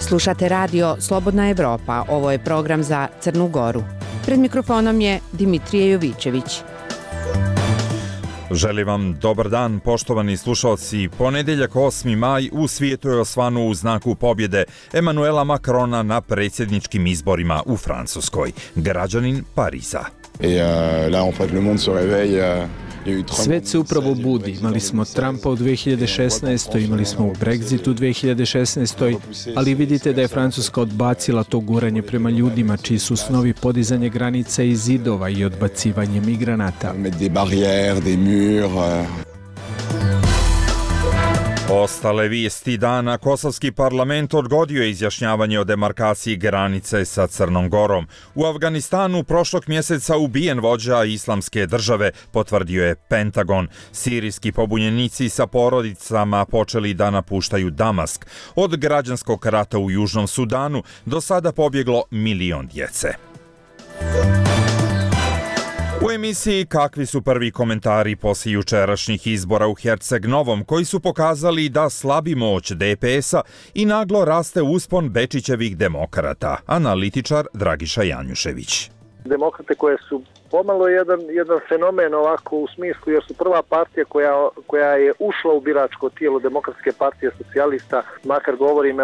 Slušate radio Slobodna Evropa, ovo je program za Crnu Goru. Pred mikrofonom je Dimitrije Jovićević. Želim vam dobar dan, poštovani slušalci. Ponedjeljak 8. maj u svijetu je osvanuo u znaku pobjede Emmanuela Macrona na predsjedničkim izborima u Francuskoj. Građanin Pariza. Svet se upravo budi. Imali smo Trumpa u 2016. Imali smo Brexit u 2016. Ali vidite da je Francuska odbacila to guranje prema ljudima čiji su snovi podizanje granica i zidova i odbacivanje migranata. Ostale vijesti dana, kosovski parlament odgodio je izjašnjavanje o demarkaciji granice sa Crnom Gorom. U Afganistanu prošlog mjeseca ubijen vođa Islamske države, potvrdio je Pentagon. Sirijski pobunjenici sa porodicama počeli da napuštaju Damask. Od građanskog rata u Južnom Sudanu do sada pobjeglo 1 milion djece. U emisiji kakvi su prvi komentari poslije jučerašnjih izbora u Herceg-Novom, koji su pokazali da slabi moć DPS-a i naglo raste uspon Bečićevih demokrata, analitičar Dragiša Janjušević. Demokrate koje su pomalo jedan fenomen ovako u smislu, jer su prva partija koja je ušla u biračko tijelo Demokratske partije socijalista, makar govorim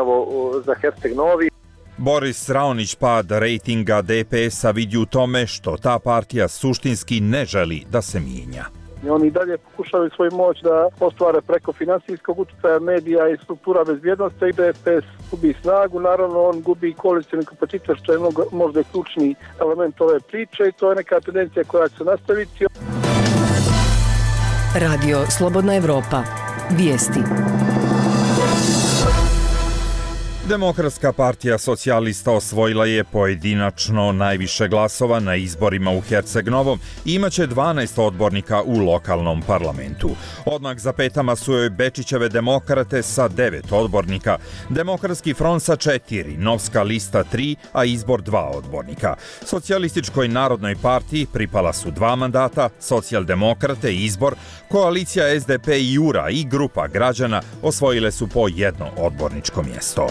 za Herceg-Novi. Boris Raonić pad rejtinga DPS-a vidi u tome što ta partija suštinski ne želi da se mijenja. Oni dalje pokušavaju svoju moć da ostvare preko financijskog utjecaja medija i struktura bezbjednosti i DPS gubi snagu. Naravno, on gubi koalicioni kapacitet, što je možda i ključni element ove priče i to je neka tendencija koja će se nastaviti. Radio Slobodna Evropa. Vijesti. Demokratska partija socijalista osvojila je pojedinačno najviše glasova na izborima u Herceg-Novom i imaće 12 odbornika u lokalnom parlamentu. Odmah za petama su joj Bečićeve demokrate sa 9 odbornika, Demokratski front sa 4, Novska lista 3, a izbor 2 odbornika. Socijalističkoj narodnoj partiji pripala su 2 mandata, socijaldemokrate izbor, koalicija SDP i Jura i grupa građana osvojile su po 1 odborničko mjesto.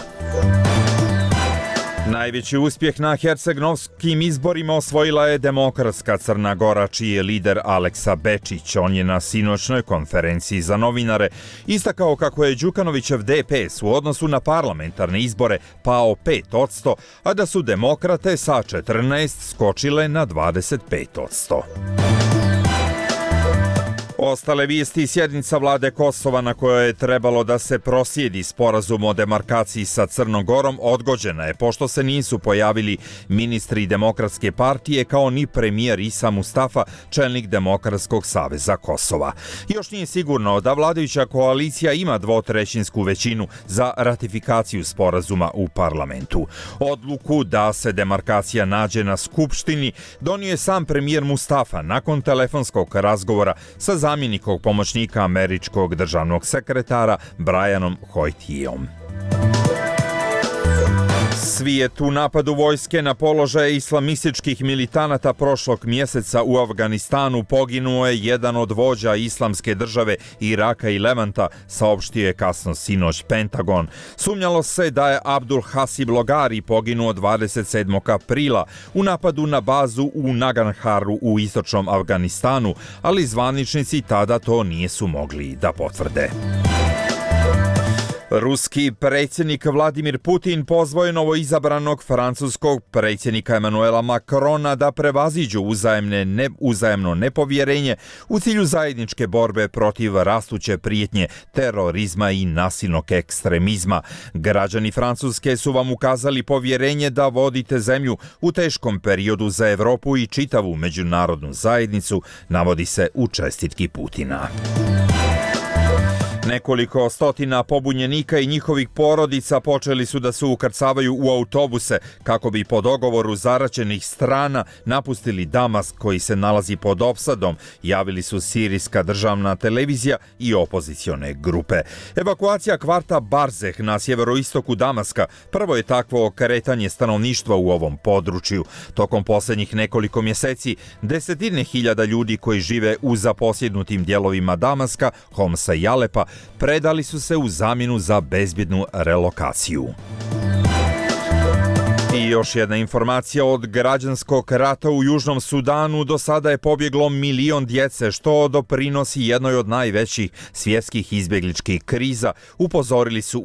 Najveći uspjeh na hercegnovskim izborima osvojila je Demokratska Crna Gora, čiji je lider Aleksa Bečić. On je na sinoćnoj konferenciji za novinare istakao kako je Đukanovićev DPS u odnosu na parlamentarne izbore pao 5%, a da su demokrate sa 14 skočile na 25%. Ostale vijesti, sjednica vlade Kosova na kojoj je trebalo da se proslijedi sporazum o demarkaciji sa Crnom Gorom odgođena je pošto se nisu pojavili ministri Demokratske partije kao ni premijer Isa Mustafa, čelnik Demokratskog saveza Kosova. Još nije sigurno da vladajuća koalicija ima 2/3 većinu za ratifikaciju sporazuma u parlamentu. Odluku da se demarkacija nađe na skupštini donio je sam premijer Mustafa nakon telefonskog razgovora sa zamjenikom pomoćnika američkog državnog sekretara Brianom Hoytijom. Svijet u napadu vojske na položaje islamističkih militanata prošlog mjeseca u Afganistanu poginuo je jedan od vođa Islamske države Iraka i Levanta, saopštio je kasno sinoć Pentagon. Sumnjalo se da je Abdul Hasib Logari poginuo 27. aprila u napadu na bazu u Nagarharu u istočnom Afganistanu, ali zvaničnici tada to nisu mogli da potvrde. Ruski predsjednik Vladimir Putin pozvao je novoizabranog francuskog predsjednika Emmanuela Macrona da prevaziđu uzajemno nepovjerenje u cilju zajedničke borbe protiv rastuće prijetnje terorizma i nasilnog ekstremizma. Građani Francuske su vam ukazali povjerenje da vodite zemlju u teškom periodu za Europu i čitavu međunarodnu zajednicu, navodi se u čestitki Putina. Nekoliko stotina pobunjenika i njihovih porodica počeli su da se ukrcavaju u autobuse kako bi po dogovoru zaraćenih strana napustili Damask koji se nalazi pod opsadom, javili su sirijska državna televizija i opozicione grupe. Evakuacija kvarta Barzeh na sjeveroistoku Damaska prvo je takvo kretanje stanovništva u ovom području. Tokom posljednjih nekoliko mjeseci desetine hiljada ljudi koji žive u zaposjednutim dijelovima Damaska, Homsa i Alepa predali su se u zamjenu za bezbjednu relokaciju. I još jedna informacija od građanskog rata u Južnom Sudanu. Do sada je pobjeglo 1 milion djece, što doprinosi jednoj od najvećih svjetskih izbjegličkih kriza, upozorili su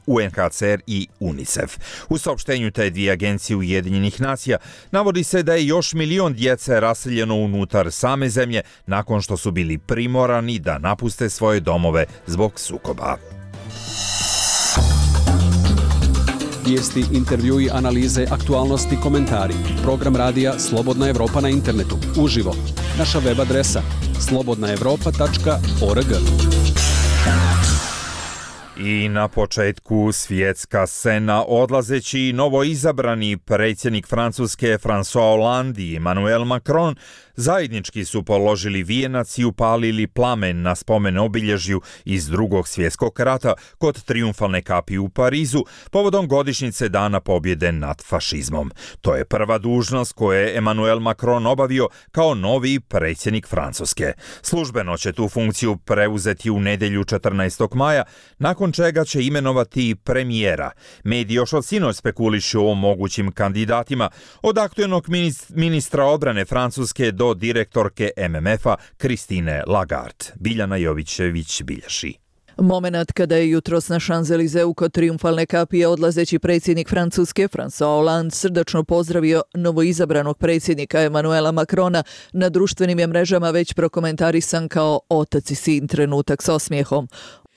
UNHCR i UNICEF. U saopštenju te dvije agencije Ujedinjenih nacija navodi se da je još 1 milion djece raseljeno unutar same zemlje nakon što su bili primorani da napuste svoje domove zbog sukoba. Vijesti, intervjui, analize, aktualnosti, komentari. Program radija Slobodna Evropa na internetu. Uživo. Naša web adresa slobodnaevropa.org. I na početku svjetska scena. Odlazeći novoizabrani predsjednik Francuske François Hollande i Emmanuel Macron zajednički su položili vijenac i upalili plamen na spomen obilježju iz Drugog svjetskog rata kod Trijumfalne kapije u Parizu povodom godišnjice Dana pobjede nad fašizmom. To je prva dužnost koju je Emmanuel Macron obavio kao novi predsjednik Francuske. Službeno će tu funkciju preuzeti u nedjelju 14. maja, nakon čega će imenovati premijera. Mediji još od sinoć spekulišu o mogućim kandidatima, od aktualnog ministra obrane Francuske do direktorke MMF-a Christine Lagarde. Biljana Jovićević bilježi. Momenat kada je jutros na Champs-Élysées kod Trijumfalne kapije odlazeći predsjednik Francuske François Hollande srdačno pozdravio novoizabranog predsjednika Emmanuela Macrona, na društvenim je mrežama već prokomentarisan kao otac i sin trenutak s osmijehom.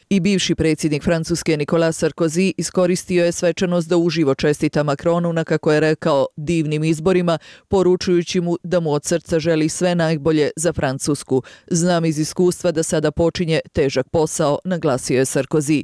I bivši predsjednik Francuske Nicolas Sarkozy iskoristio je svečanost da uživo čestita Macronu na, kako je rekao, divnim izborima, poručujući mu da mu od srca želi sve najbolje za Francusku. Znam iz iskustva da sada počinje težak posao, naglasio je Sarkozy.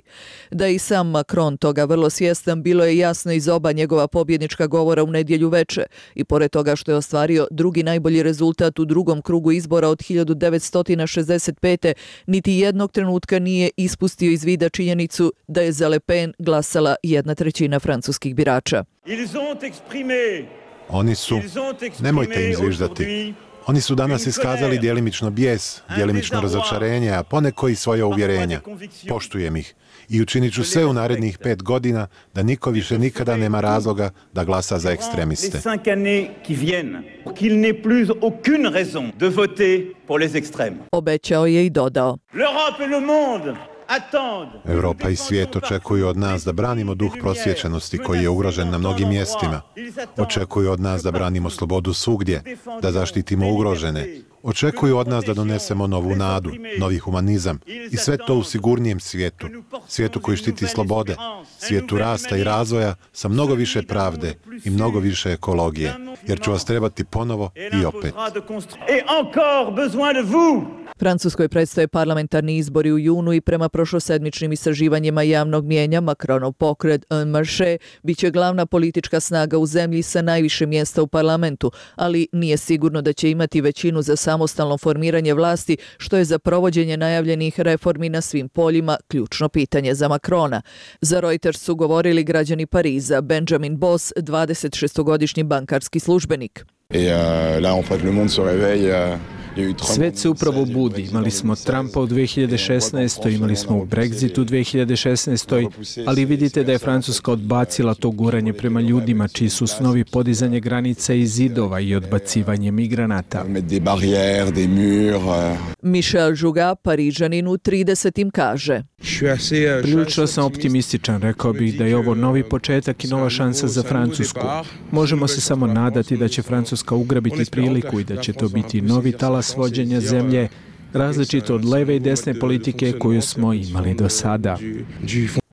Da i sam Macron toga vrlo svjestan, bilo je jasno iz oba njegova pobjednička govora u nedjelju veče. I pored toga što je ostvario drugi najbolji rezultat u drugom krugu izbora od 1965. niti jednog trenutka nije ispustio iz vida činjenicu da je za Le Pen glasala 1/3 francuskih birača. Oni su, nemojte im zviždati, oni su danas iskazali djelimično bijes, djelimično razočarenje, a poneko i svoje uvjerenja. Poštujem ih i učinit ću sve u narednih 5 godina da niko više nikada nema razloga da glasa za ekstremiste. Obećao je i dodao. Europa i svijet očekuju od nas da branimo duh prosvjećenosti koji je ugrožen na mnogim mjestima. Očekuju od nas da branimo slobodu svugdje, da zaštitimo ugrožene. Očekuju od nas da donesemo novu nadu, novi humanizam i sve to u sigurnijem svijetu. Svijetu koji štiti slobode, svijetu rasta i razvoja sa mnogo više pravde i mnogo više ekologije. Jer ću vas trebati ponovo i opet. Francuskoj predstoje parlamentarni izbori u junu i prema prošlosedmičnim istraživanjima javnog mijenja Macronov pokret En Marche biće glavna politička snaga u zemlji sa najviše mjesta u parlamentu, ali nije sigurno da će imati većinu za samostalno formiranje vlasti, što je za provođenje najavljenih reformi na svim poljima ključno pitanje za Macrona. Za Reuters su govorili građani Pariza, Benjamin Boss, 26-godišnji bankarski službenik. Svet se upravo budi. Imali smo Trumpa u 2016. Imali smo u Brexitu u 2016. Ali vidite da je Francuska odbacila to guranje prema ljudima čiji su snovi podizanje granica i zidova i odbacivanje migranata. Michel Jouga, Parižanin u 30. kaže. Prilično sam optimističan, rekao bih da je ovo novi početak i nova šansa za Francusku. Možemo se samo nadati da će Francuska ugrabiti priliku i da će to biti novi talas vođenja zemlje, različito od leve i desne politike koju smo imali do sada.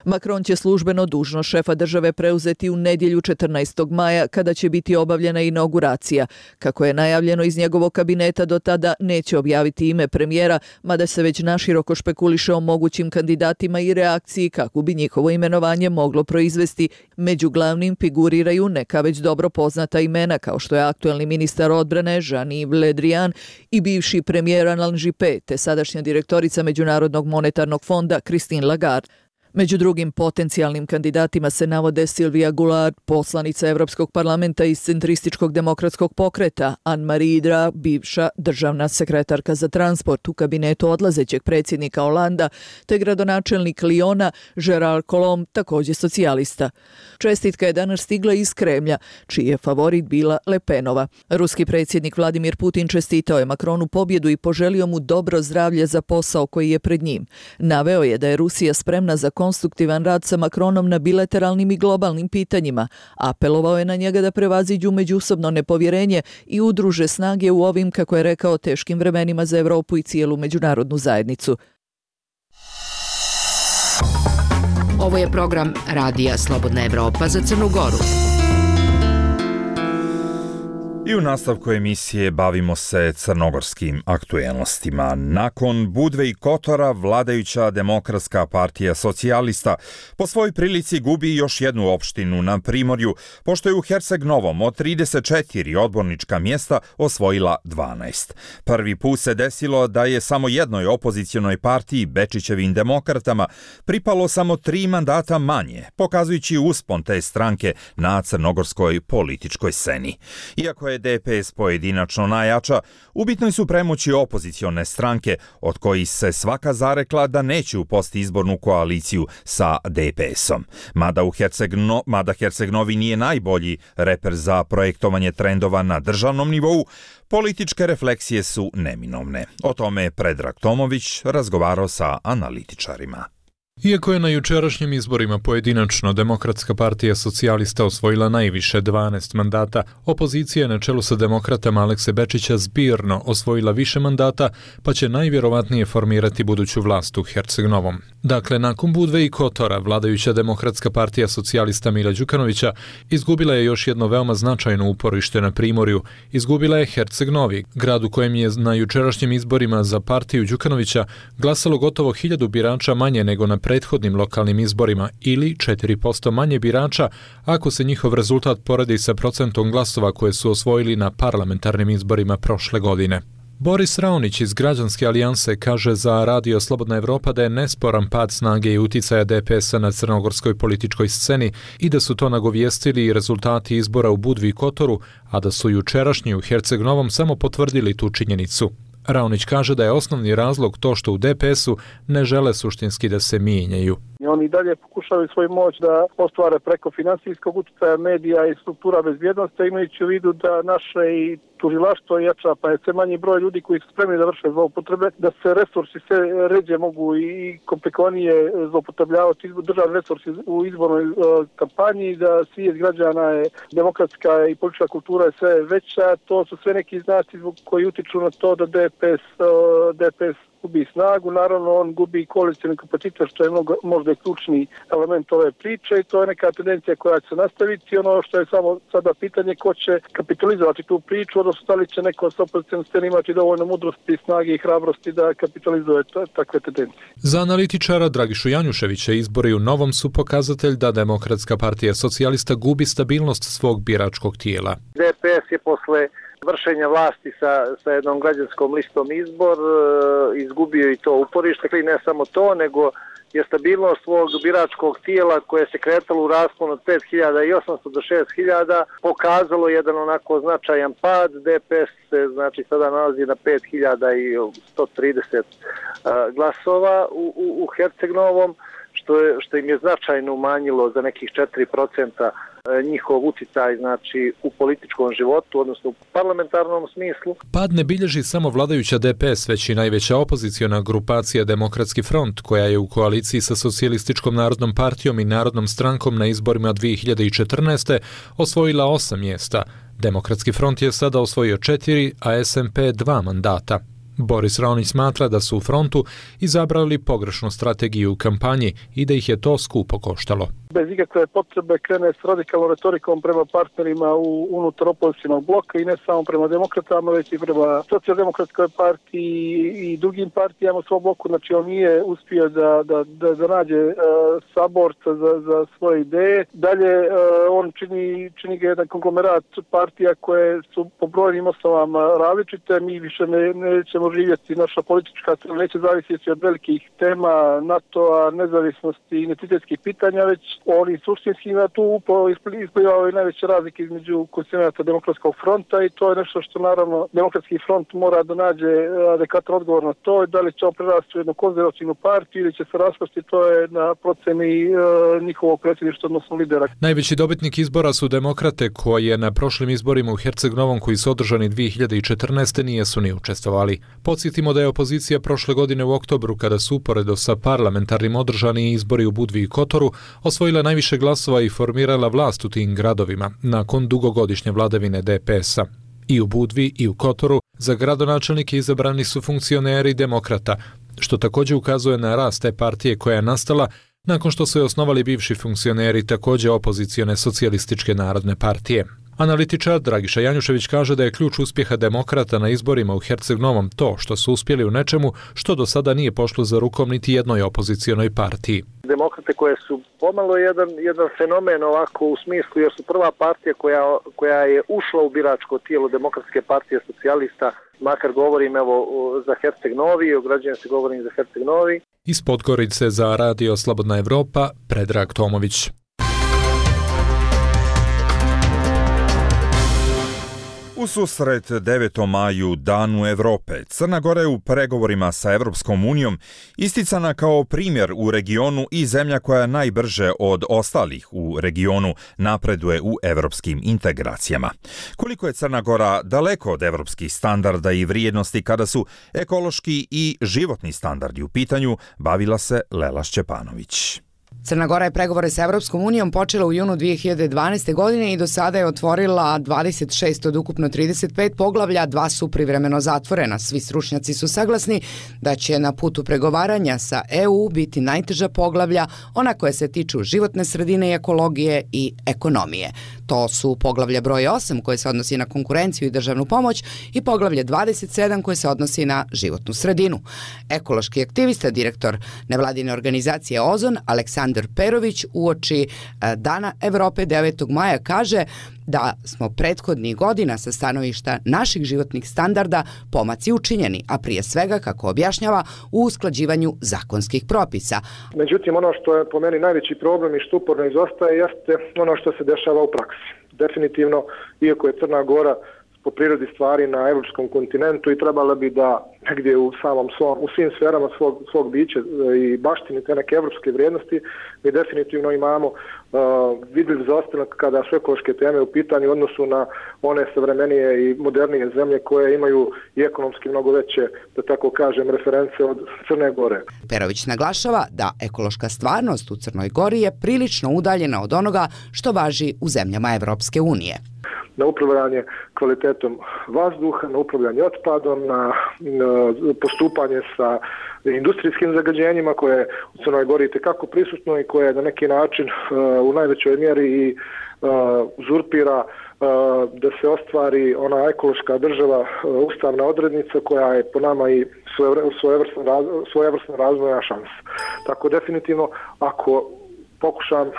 Macron će službeno dužnost šefa države preuzeti u nedjelju 14. maja kada će biti obavljena inauguracija. Kako je najavljeno iz njegovog kabineta, do tada neće objaviti ime premijera, mada se već naširoko špekuliše o mogućim kandidatima i reakciji kako bi njihovo imenovanje moglo proizvesti. Među glavnim figuriraju neka već dobro poznata imena kao što je aktualni ministar odbrane Jean-Yves Le Drian i bivši premijer Alain Juppé, te sadašnja direktorica Međunarodnog monetarnog fonda Christine Lagarde. Među drugim potencijalnim kandidatima se navode Silvija Goulart, poslanica Evropskog parlamenta iz Centrističkog demokratskog pokreta, Anne-Marie Hidra, bivša državna sekretarka za transport u kabinetu odlazećeg predsjednika Holanda, te gradonačelnik Lyona Gérard Collomb, također socijalista. Čestitka je danas stigla iz Kremlja, čiji je favorit bila Le Penova. Ruski predsjednik Vladimir Putin čestitao je Macronu pobjedu i poželio mu dobro zdravlje za posao koji je pred njim. Naveo je da je Rusija spremna za konstruktivan rad sa Macronom na bilateralnim i globalnim pitanjima. Apelovao je na njega da prevaziđu međusobno nepovjerenje i udruže snage u ovim, kako je rekao, teškim vremenima za Europu i cijelu međunarodnu zajednicu. Ovo je program Radija Slobodna Evropa za Crnu Goru. I u nastavku emisije bavimo se crnogorskim aktuelnostima. Nakon Budve i Kotora, vladajuća Demokratska partija socijalista po svojoj prilici gubi još jednu opštinu na Primorju, pošto je u Herceg Novom od 34 odbornička mjesta osvojila 12. Prvi put se desilo da je samo jednoj opozicionoj partiji, Bečićevim demokratama, pripalo samo 3 mandata manje, pokazujući uspon te stranke na crnogorskoj političkoj sceni. Iako je DPS pojedinačno najjača, u bitnoj su premoći opozicione stranke, od kojih se svaka zarekla da neće upasti izbornu koaliciju sa DPS-om. Mada Herceg Novi nije najbolji reper za projektovanje trendova na državnom nivou, političke refleksije su neminovne. O tome je Predrag Tomović razgovarao sa analitičarima. Iako je na jučerašnjim izborima pojedinačno Demokratska partija socijalista osvojila najviše 12 mandata, opozicija na čelu sa demokratama Alekse Bečića zbirno osvojila više mandata, pa će najvjerovatnije formirati buduću vlast u Herceg Novom. Dakle, nakon Budve i Kotora, vladajuća Demokratska partija socijalista Mila Đukanovića izgubila je još jedno veoma značajno uporište na Primorju. Izgubila je Herceg Novi, grad u kojem je na jučerašnjim izborima za partiju Đukanovića glasalo gotovo 1000 birača manje nego na prethodnim lokalnim izborima ili 4% manje birača ako se njihov rezultat poredi sa procentom glasova koje su osvojili na parlamentarnim izborima prošle godine. Boris Raonić iz Građanske alijanse kaže za Radio Slobodna Evropa da je nesporan pad snage i uticaja DPS-a na crnogorskoj političkoj sceni i da su to nagovijestili i rezultati izbora u Budvi i Kotoru, a da su jučerašnji u Herceg Novom samo potvrdili tu činjenicu. Raonić kaže da je osnovni razlog to što u DPS-u ne žele suštinski da se mijenjaju. Oni dalje pokušavaju svoju moć da ostvare preko finansijskog utjecaja medija i struktura bezbjednosti, imajući u vidu da naše i tužilaštvo jača, pa je sve manji broj ljudi koji su spremni da vrše zloupotrebe, da se resursi sve ređe mogu i komplikovanije zloupotrebljavati državni resursi u izbornoj kampanji, da svijest građana je demokratska i politička kultura je sve veća. To su sve neki znaci koji utiču na to da DPS gubi snagu, naravno on gubi koalicioni kapacitet, što je možda ključni element ove priče i to je neka tendencija koja će se nastaviti. Ono što je samo sada pitanje ko će kapitalizovati tu priču, odnosno da li će neko s opozicijom sceni imati dovoljno mudrosti, snage i hrabrosti da kapitalizuje takve tendencije. Za analitičara Dragišu Janjuševića izbori u Novom su pokazatelj da Demokratska partija socijalista gubi stabilnost svog biračkog tijela. DPS je posle vršenja vlasti sa jednom građanskom listom izbor izgubio i to uporište, i ne samo to, nego je stabilnost svog biračkog tijela koje se kretalo u rasponu od 5.800 do 6.000 pokazalo jedan onako značajan pad. DPS se znači sada nalazi na 5.130 glasova u Herceg Novom, što im je značajno umanjilo za nekih 4% njihov uticaj znači u političkom životu, odnosno u parlamentarnom smislu. Pad ne bilježi samo vladajuća DPS, već i najveća opoziciona grupacija Demokratski front, koja je u koaliciji sa Socijalističkom narodnom partijom i Narodnom strankom na izborima 2014. osvojila 8 mjesta. Demokratski front je sada osvojio 4, a SMP 2 mandata. Boris Raonić smatra da su u frontu izabrali pogrešnu strategiju u kampanji i da ih je to skupo koštalo. bez ikakve potrebe krene s radikalnom retorikom prema partnerima unutar opozicionog bloka i ne samo prema demokratama, već i prema socijaldemokratskoj partiji i drugim partijama u svom bloku. Znači on nije uspio da nađe saborca za svoje ideje. Dalje on čini ga jedan konglomerat partija koje su po brojnim osnovama različite. Mi više nećemo živjeti, naša politička scena neće zavisiti od velikih tema NATO-a, nezavisnosti i identitetskih pitanja, već oni suštinski tu upravo isplivaju najveće razlike između konstitucionata Demokratskog fronta i to je nešto što naravno Demokratski front mora da nađe adekvatan odgovor na to. Da li će on prerasti u jednu konzervativnu partiju ili će se raspasti, to je na proceni njihovog predsjedništva, odnosno lidera. Najveći dobitnik izbora su demokrate koje na prošlim izborima u Herceg-Novom koji su održani 2014. nijesu ni učestvovali. Podsjetimo da je opozicija prošle godine u oktobru, kada su uporedo sa parlamentarnim održani izbori u Budvi i Kotoru, osvojila najviše glasova i formirala vlast u tim gradovima nakon dugogodišnje vladavine DPS-a. I u Budvi i u Kotoru za gradonačelnike izabrani su funkcioneri demokrata, što također ukazuje na rast te partije koja je nastala nakon što su je osnovali bivši funkcioneri također opozicione socijalističke narodne partije. Analitičar Dragiša Janjušević kaže da je ključ uspjeha demokrata na izborima u Herceg-Novom to što su uspjeli u nečemu što do sada nije pošlo za rukom niti jednoj opozicionoj partiji. Demokrate koje su pomalo jedan fenomen ovako u smislu jer su prva partija koja je ušla u biračko tijelo Demokratske partije socijalista, makar govorim za Herceg-Novi, ograđujem se govorim za Herceg-Novi. Iz Podgorice za Radio Slobodna Evropa, Predrag Tomović. U susret 9. maju, Danu Evrope, Crna Gora je u pregovorima sa Evropskom unijom isticana kao primjer u regionu i zemlja koja najbrže od ostalih u regionu napreduje u evropskim integracijama. Koliko je Crna Gora daleko od evropskih standarda i vrijednosti kada su ekološki i životni standardi u pitanju, bavila se Lela Šćepanović. Crna Gora je pregovore sa Evropskom unijom počela u junu 2012. godine i do sada je otvorila 26 od ukupno 35 poglavlja, 2 su privremeno zatvorena. Svi stručnjaci su saglasni da će na putu pregovaranja sa EU biti najteža poglavlja, ona koja se tiču životne sredine i ekologije i ekonomije. To su poglavlje broj 8 koje se odnosi na konkurenciju i državnu pomoć i poglavlje 27 koje se odnosi na životnu sredinu. Ekološki aktivista, direktor nevladine organizacije Ozon, Aleksandar Perović, uoči Dana Evrope 9. maja kaže da smo prethodnih godina sa stanovišta naših životnih standarda pomaci učinjeni, a prije svega, kako objašnjava, u usklađivanju zakonskih propisa. Međutim, ono što je po meni najveći problem i što uporno izostaje jeste ono što se dešava u praksi. Definitivno, iako je Crna Gora po prirodi stvari na evropskom kontinentu i trebala bi da negdje u svim sferama svog bića i baštini te neke evropske vrijednosti, mi definitivno imamo vidljiv zaostanak kada su ekološke teme u pitanju u odnosu na one savremenije i modernije zemlje koje imaju i ekonomski mnogo veće, da tako kažem, reference od Crne Gore. Perović naglašava da ekološka stvarnost u Crnoj Gori je prilično udaljena od onoga što važi u zemljama Evropske unije. Na upravljanje kvalitetom vazduha, na upravljanje otpadom, na postupanje sa industrijskim zagađenjima koje je u Crnoj Gori itekako prisutno i koje na neki način u najvećoj mjeri i uzurpira da se ostvari ona ekološka država, ustavna odrednica koja je po nama i svojevrsna razvojna šansa. Tako definitivno, ako pokušam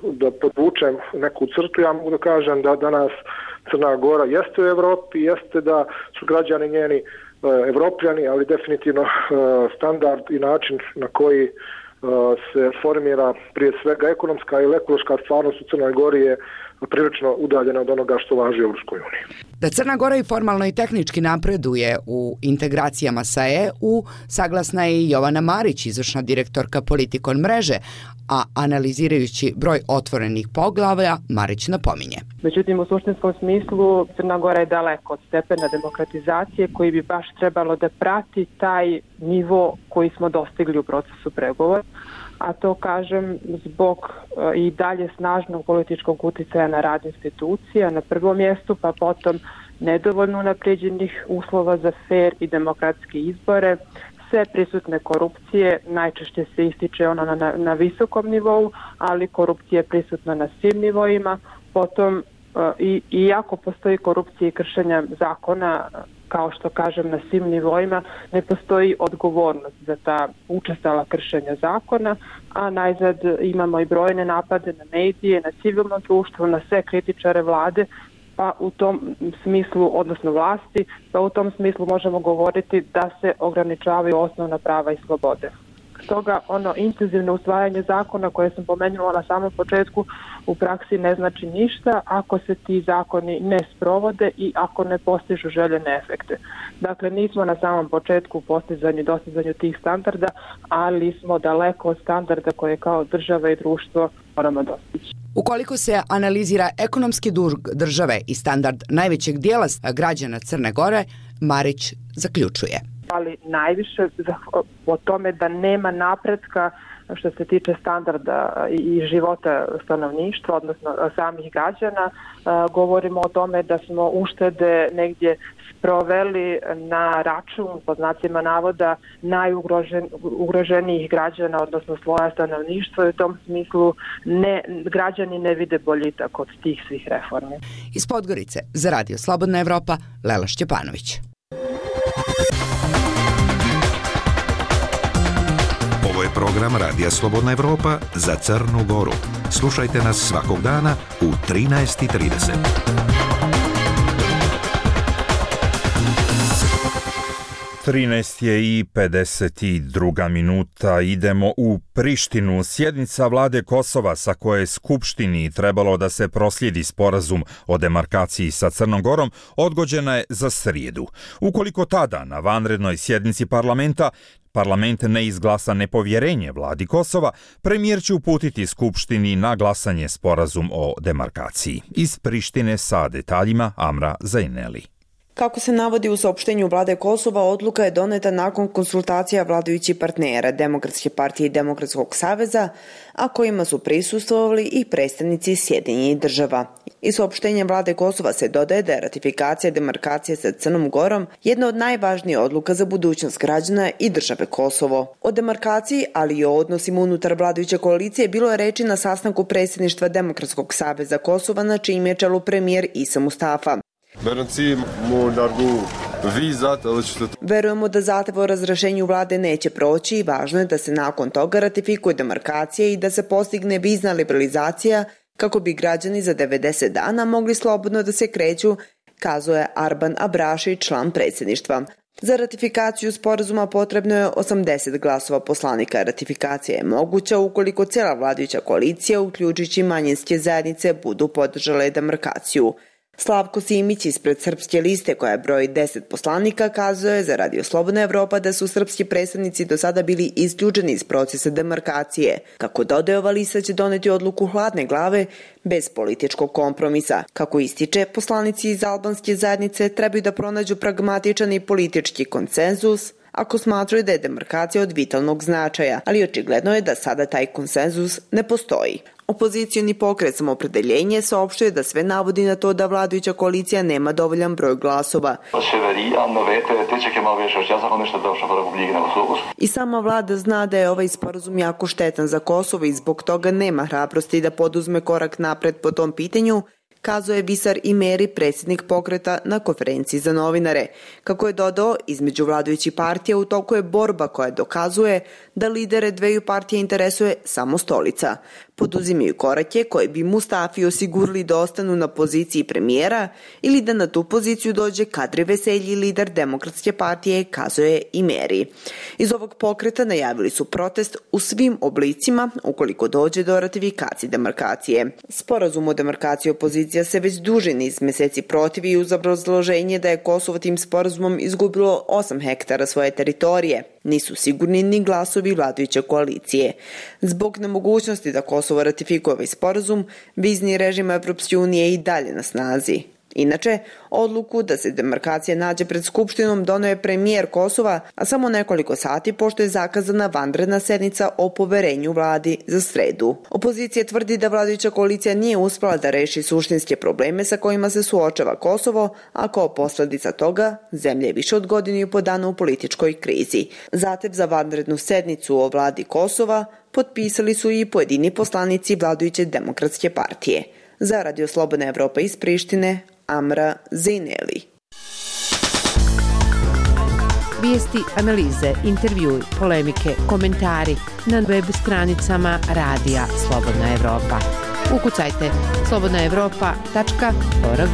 da podvučem neku crtu, ja mogu da kažem da danas Crna Gora jeste u Evropi, jeste da su građani njeni Evropljani, ali definitivno standard i način na koji se formira prije svega ekonomska ili ekološka stvarnost u Crnoj Gori je prilično udaljena od onoga što važi u Evropskoj uniji. Da Crna Gora i formalno i tehnički napreduje u integracijama sa EU, saglasna je i Jovana Marić, izvršna direktorka Politikon mreže, a analizirajući broj otvorenih poglavlja, Marić napominje. Međutim, u suštinskom smislu Crna Gora je daleko od stepena demokratizacije koji bi baš trebalo da prati taj nivo koji smo dostigli u procesu pregovora, a to kažem zbog i dalje snažnog političkog utjecaja na rad institucija na prvom mjestu, pa potom nedovoljno unapređenih uslova za fer i demokratske izbore, sve prisutne korupcije, najčešće se ističe ona na visokom nivou, ali korupcija je prisutna na svim nivoima. Potom, iako postoji korupcija i kršenja zakona, kao što kažem, na svim nivoima, ne postoji odgovornost za ta učestala kršenja zakona, a najzad imamo i brojne napade na medije, na civilno društvo, na sve kritičare vlade, pa u tom smislu, odnosno vlasti, pa u tom smislu možemo govoriti da se ograničavaju osnovna prava i slobode. Stoga ono intenzivno usvajanje zakona koje sam pomenula na samom početku u praksi ne znači ništa ako se ti zakoni ne sprovode i ako ne postižu željene efekte. Dakle, nismo na samom početku u postizanju i dostizanju tih standarda, ali smo daleko od standarda koje kao država i društvo moramo dostići. Ukoliko se analizira ekonomski dug države i standard najvećeg dijela građana Crne Gore, Marić zaključuje. Ali najviše o tome da nema napretka što se tiče standarda i života stanovništva, odnosno samih građana. Govorimo o tome da smo uštede negdje sproveli na račun, pod znacima navoda, najugroženijih građana, odnosno sloja stanovništva, i u tom smislu građani ne vide boljitak od tih svih reformi. Iz Podgorice za Radio Slobodna Evropa, Lela Šćepanović. Ovo je program Radija Slobodna Evropa za Crnu Goru. Slušajte nas svakog dana u 13:30. 13:52 minuta. Idemo u Prištinu. Sjednica vlade Kosova sa koje je Skupštini trebalo da se proslijedi sporazum o demarkaciji sa Crnom Gorom odgođena je za srijedu. Ukoliko tada na vanrednoj sjednici parlament ne izglasa nepovjerenje vladi Kosova, premijer će uputiti Skupštini na glasanje sporazum o demarkaciji. Iz Prištine sa detaljima Amra Zaineli. Kako se navodi u saopštenju vlade Kosova, odluka je doneta nakon konsultacija vladajućih partnera Demokratske partije i Demokratskog saveza, a kojima su prisustvovali i predstavnici Sjedinjenih država. Iz saopštenja vlade Kosova se dodaje da je ratifikacija demarkacije sa Crnom Gorom jedna od najvažnijih odluka za budućnost građana i države Kosovo. O demarkaciji, ali i o odnosima unutar vladajuće koalicije bilo je reči na sastanku predsjedništva Demokratskog saveza Kosova, na čijem je čelu premijer Isa Mustafa. Verujemo da zahtev o razrješenju vlade neće proći i važno je da se nakon toga ratifikuje demarkacija i da se postigne vizna liberalizacija kako bi građani za 90 dana mogli slobodno da se kreću, kazao je Arban Abraši, član predsjedništva. Za ratifikaciju sporazuma potrebno je 80 glasova poslanika. Ratifikacija je moguća ukoliko cijela vladajuća koalicija, uključujući manjinske zajednice, budu podržale demarkaciju. Slavko Simić ispred Srpske liste, koja broji 10 poslanika, kazao je za Radio Slobodna Evropa da su srpski predstavnici do sada bili isključeni iz procesa demarkacije. Kako dodaje, ova lista će doneti odluku hladne glave bez političkog kompromisa. Kako ističe, poslanici iz albanske zajednice trebaju da pronađu pragmatičan i politički konsenzus ako smatraju da je demarkacija od vitalnog značaja, ali očigledno je da sada taj konsenzus ne postoji. Opozicioni pokret Samoopredeljenje saopštuje da sve navodi na to da vladajuća koalicija nema dovoljan broj glasova. I sama vlada zna da je ovaj sporazum jako štetan za Kosovo i zbog toga nema hrabrosti da poduzme korak napred po tom pitanju, kazao je Visar Imeri, predsjednik pokreta, na konferenciji za novinare. Kako je dodao, između vladajućih partija u toku je borba koja dokazuje da lidere dveju partija interesuje samo stolica. Poduzimaju korake koje bi Mustafi osigurali da ostanu na poziciji premijera ili da na tu poziciju dođe Kadri Veselji, lider Demokratske partije, kazao je Imeri. Iz ovog pokreta najavili su protest u svim oblicima ukoliko dođe do ratifikacije demarkacije. Sporazum o demarkaciji opozicija se već duži niz mjeseci protivi uz obrazloženje da je Kosovo tim sporazumom izgubilo 8 hektara svoje teritorije. Nisu sigurni ni glasovi vladajuće koalicije. Zbog nemogućnosti da Kosovo ratifikuje ovaj sporazum, vizni režim Evropske unije je i dalje na snazi. Inače, odluku da se demarkacija nađe pred Skupštinom doneo je premijer Kosova, a samo nekoliko sati pošto je zakazana vanredna sednica o poverenju vladi za sredu. Opozicija tvrdi da vladajuća koalicija nije uspela da reši suštinske probleme sa kojima se suočava Kosovo, a kao posljedica toga zemlja je više od godinu i po dana u političkoj krizi. Zahtev za vanrednu sednicu o vladi Kosova potpisali su i pojedini poslanici vladajuće demokratske partije. Za Radio Slobodna Evropa iz Prištine, Amra Zejneli. Vijesti, analize, intervjui, polemike, komentari na web stranicama Radija Slobodna Evropa. Ukucajte slobodnaevropa.org.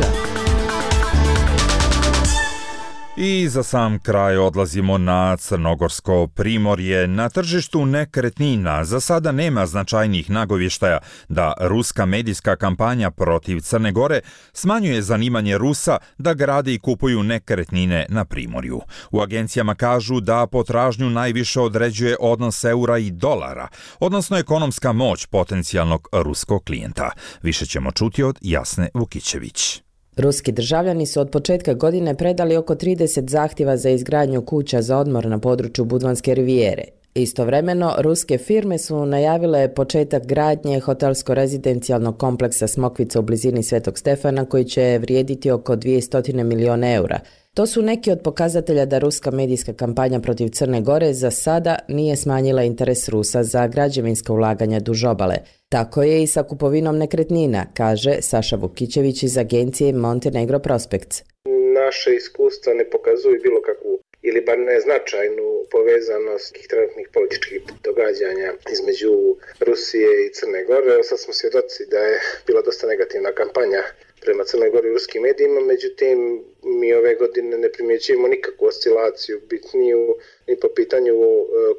I za sam kraj odlazimo na Crnogorsko primorje. Na tržištu nekretnina za sada nema značajnih nagovještaja da ruska medijska kampanja protiv Crne Gore smanjuje zanimanje Rusa da grade i kupuju nekretnine na primorju. U agencijama kažu da potražnju najviše određuje odnos eura i dolara, odnosno ekonomska moć potencijalnog ruskog klijenta. Više ćemo čuti od Jasne Vukićević. Ruski državljani su od početka godine predali oko 30 zahtjeva za izgradnju kuća za odmor na području Budvanske rivijere. Istovremeno, ruske firme su najavile početak gradnje hotelsko-rezidencijalnog kompleksa Smokvica u blizini Svetog Stefana koji će vrijediti oko 200 milijuna eura. To su neki od pokazatelja da ruska medijska kampanja protiv Crne Gore za sada nije smanjila interes Rusa za građevinska ulaganja duž obale. Tako je i sa kupovinom nekretnina, kaže Saša Vukićević iz agencije Montenegro Prospects. Naše iskustva ne pokazuju bilo kakvu ili bar neznačajnu povezanost trenutnih političkih događanja između Rusije i Crne Gore. Sad smo svjedoci da je bila dosta negativna kampanja prema Crnoj Gori i ruskim medijima, međutim mi ove godine ne primjećujemo nikakvu oscilaciju bitniju ni po pitanju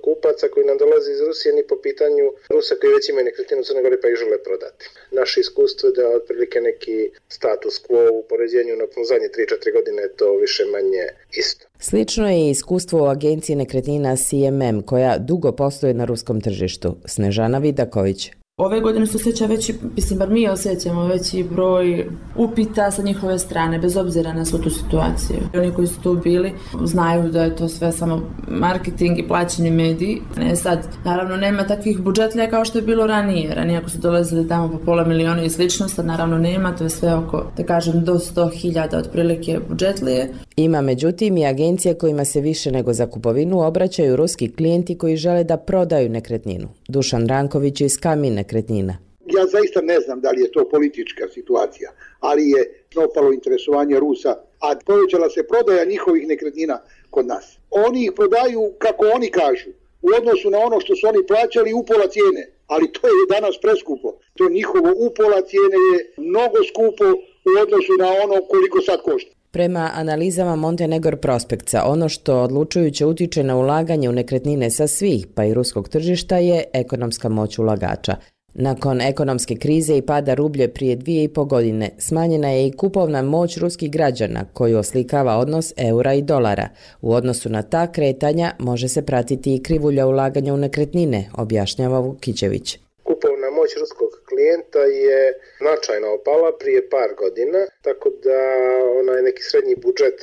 kupaca koji nam dolaze iz Rusije, ni po pitanju Rusa koji već imaju nekretninu u Crnoj Gori pa ih žele prodati. Naše iskustvo je da otprilike neki status quo u poređenju na zadnje 3-4 godine je to više manje isto. Slično je i iskustvo u agenciji nekretnina CMM koja dugo posluje na ruskom tržištu. Snežana Vidaković. Ove godine se osjeća veći, bar mi osjećamo veći broj upita sa njihove strane, bez obzira na svu tu situaciju. Oni koji su tu bili znaju da je to sve samo marketing i plaćeni mediji. Sad, naravno, nema takvih budžetlija kao što je bilo ranije. Ranije ako su dolazili tamo po pola miliona i slično, sad naravno nema, to je sve oko, da kažem, do 100.000 otprilike budžetlije. Ima međutim i agencije kojima se više nego za kupovinu obraćaju ruski klijenti koji žele da prodaju nekretninu. Dušan Ranković iz Kamin nekretnina. Ja zaista ne znam da li je to politička situacija, ali je opalo interesovanje Rusa, a povećala se prodaja njihovih nekretnina kod nas. Oni ih prodaju kako oni kažu, u odnosu na ono što su oni plaćali upola cijene, ali to je danas preskupo. To njihovo upola cijene je mnogo skupo u odnosu na ono koliko sad košta. Prema analizama Montenegro Prospectsa, ono što odlučujuće utiče na ulaganje u nekretnine sa svih, pa i ruskog tržišta, je ekonomska moć ulagača. Nakon ekonomske krize i pada rublje prije 2,5 godine, smanjena je i kupovna moć ruskih građana, koju oslikava odnos eura i dolara. U odnosu na ta kretanja može se pratiti i krivulja ulaganja u nekretnine, objašnjava Vukićević. Kupovna moć ruskog klijenta je značajno opala prije par godina, tako da onaj neki srednji budžet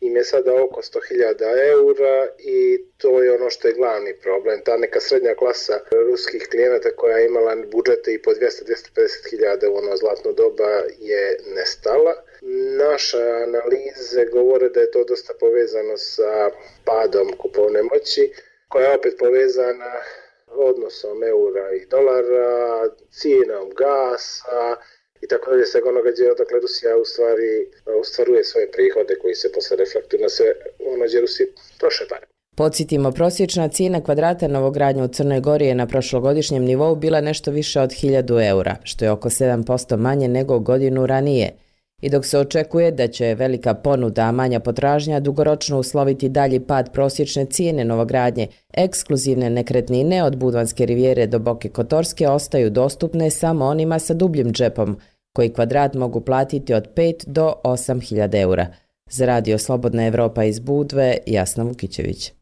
im je sada oko 100.000 eura i to je ono što je glavni problem. Ta neka srednja klasa ruskih klijenata koja je imala budžete i po 200-250.000 u ono zlatno doba je nestala. Naše analize govore da je to dosta povezano sa padom kupovne moći, koja je opet povezana odnosom eura i dolara, cijenom gasa i tako dalje, svega onoga odakle Rusija u stvari ostvaruje svoje prihode koji se posle reflektuju na sve ono gdje Rusiji troše pare. Podsjetimo, prosječna cijena kvadrata novogradnje u Crnoj Gori je na prošlogodišnjem nivou bila nešto više od 1.000 eura, što je oko 7% manje nego godinu ranije. I dok se očekuje da će velika ponuda, a manja potražnja dugoročno usloviti dalji pad prosječne cijene novogradnje, ekskluzivne nekretnine od Budvanske rivijere do Boke Kotorske ostaju dostupne samo onima sa dubljim džepom, koji kvadrat mogu platiti od 5 do 8.000 eura. Za Radio Slobodna Evropa iz Budve, Jasna Vukićević.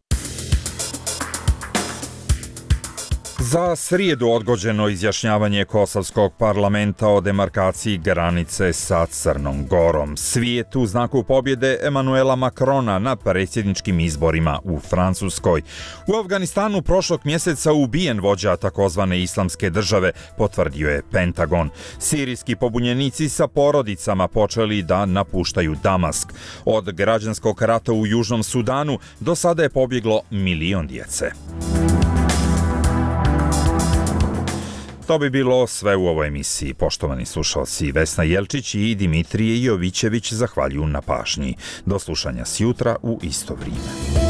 Za srijedu odgođeno izjašnjavanje Kosovskog parlamenta o demarkaciji granice sa Crnom Gorom. Svijet u znaku pobjede Emanuela Makrona na predsjedničkim izborima u Francuskoj. U Afganistanu prošlog mjeseca ubijen vođa takozvane islamske države, potvrdio je Pentagon. Sirijski pobunjenici sa porodicama počeli da napuštaju Damask. Od građanskog rata u Južnom Sudanu do sada je pobjeglo 1 milion djece. To bi bilo sve u ovoj emisiji. Poštovani slušalci, Vesna Jelčić i Dimitrije Jovićević zahvaljuju na pažnji. Do slušanja sjutra u isto vrijeme.